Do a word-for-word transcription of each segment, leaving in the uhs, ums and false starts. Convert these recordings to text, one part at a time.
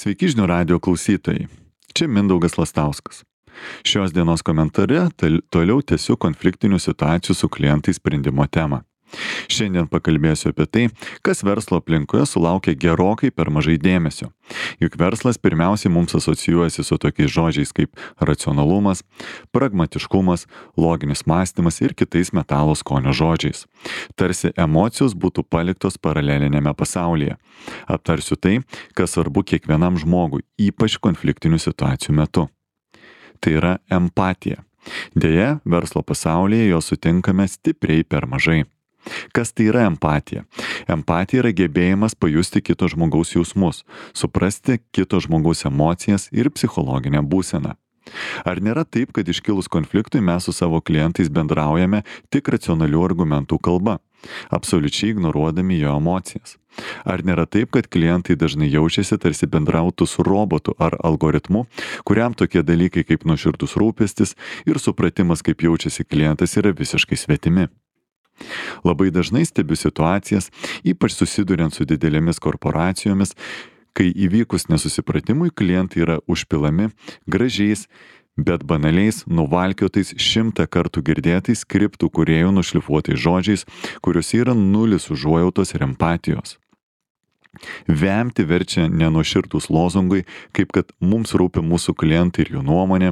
Sveiki žinių radijo klausytojai. Čia Mindaugas Lastauskas. Šios dienos komentare tal- toliau tęsiu konfliktinių situacijų su klientais sprendimo temą. Šiandien pakalbėsiu apie tai, kas verslo aplinkoje sulaukia gerokai per mažai dėmesio. Juk verslas pirmiausiai mums asocijuojasi su tokiais žodžiais kaip racionalumas, pragmatiškumas, loginis mąstymas ir kitais metalo skonio žodžiais. Tarsi emocijos būtų paliktos paralelinėme pasaulyje. Aptarsiu tai, kas svarbu kiekvienam žmogui, ypač konfliktinių situacijų metu. Tai yra empatija. Deja, verslo pasaulyje jo sutinkame stipriai per mažai. Kas tai yra empatija? Empatija yra gebėjimas pajusti kito žmogaus jausmus, suprasti kito žmogaus emocijas ir psichologinę būseną. Ar nėra taip, kad iškilus konfliktui mes su savo klientais bendraujame tik racionalių argumentų kalba, absoliučiai ignoruodami jo emocijas? Ar nėra taip, kad klientai dažnai jaučiasi tarsi bendrautų su robotu ar algoritmu, kuriam tokie dalykai kaip nuoširdus rūpestis ir supratimas, kaip jaučiasi klientas, yra visiškai svetimi? Labai dažnai stebiu situacijas, ypač susiduriant su didelėmis korporacijomis, kai įvykus nesusipratimui klientai yra užpilami gražiais, bet banaliais, nuvalkiotais šimtą kartų girdėtais skriptų kūrėjų nušlifuotais žodžiais, kuriuose yra nulis užuojautos ir empatijos. Vemti verčia nenuoširdūs lozungai, kaip kad mums rūpi mūsų klientai ir jų nuomonė,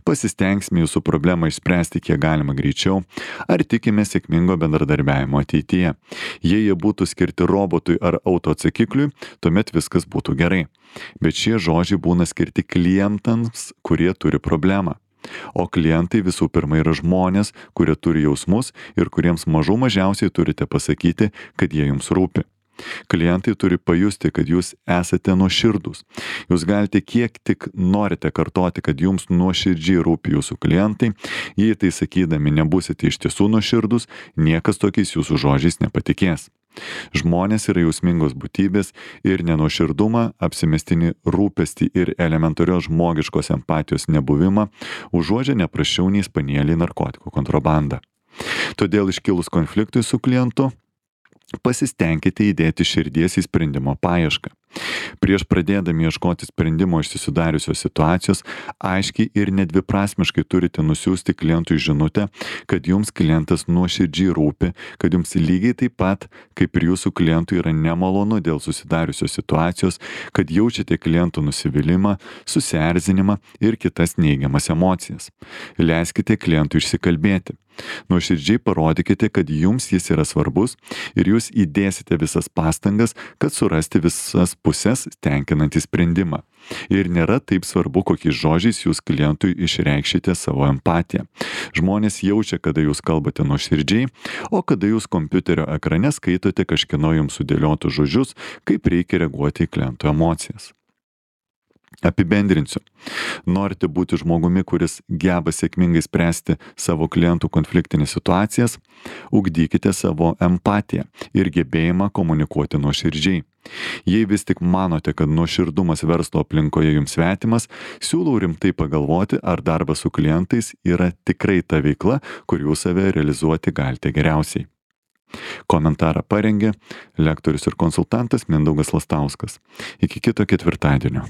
pasistengsime jūsų problemą išspręsti kiek galima greičiau, ar tikime sėkmingo bendradarbiavimo ateityje. Jei jie būtų skirti robotui ar autoatsakikliui, tuomet viskas būtų gerai. Bet šie žodžiai būna skirti klientams, kurie turi problemą. O klientai visų pirma yra žmonės, kurie turi jausmus ir kuriems mažų mažiausiai turite pasakyti, kad jie jums rūpi. Klientai turi pajusti, kad jūs esate nuoširdūs. Jūs galite kiek tik norite kartoti, kad jums nuoširdžiai rūpi jūsų klientai. Jei tai sakydami nebūsite iš tiesų nuoširdūs, niekas tokiais jūsų žodžiais nepatikės. Žmonės yra jausmingos būtybės ir nenuoširdumą, apsimestinį rūpestį ir elementarios žmogiškos empatijos nebuvimą užuodžia neprasčiau nei spanieliai narkotikų kontrabandą. Todėl iškilus konfliktui su klientu, pasistengkite įdėti širdies į sprendimo paiešką. Prieš pradėdami ieškoti sprendimo iš susidariusios situacijos, aiškiai ir nedviprasmiškai turite nusiųsti klientui žinutę, kad jums klientas nuoširdžiai rūpi, kad jums lygiai taip pat, kaip ir jūsų klientui yra nemalonu dėl susidariusios situacijos, kad jaučiate klientų nusivylimą, susierzinimą ir kitas neigiamas emocijas. Leiskite klientui išsikalbėti. Nuoširdžiai parodykite, kad jums jis yra svarbus ir jūs įdėsite visas pastangas, kad surasti visas pusės tenkinantį sprendimą. Ir nėra taip svarbu, kokiais žodžiais jūs klientui išreikšite savo empatiją. Žmonės jaučia, kada jūs kalbate nuoširdžiai, o kada jūs kompiuterio ekrane skaitote kažkieno jums sudėliotus žodžius, kaip reikia reaguoti į kliento emocijas. Apibendrinsiu. Norite būti žmogumi, kuris geba sėkmingai spręsti savo klientų konfliktinės situacijas, ugdykite savo empatiją ir gebėjimą komunikuoti nuoširdžiai. Jei vis tik manote, kad nuoširdumas verslo aplinkoje jums svetimas, siūlau rimtai pagalvoti, ar darbas su klientais yra tikrai ta veikla, kur jūs save realizuoti galite geriausiai. Komentarą parengė lektorius ir konsultantas Mindaugas Lastauskas. Iki kito ketvirtadienio.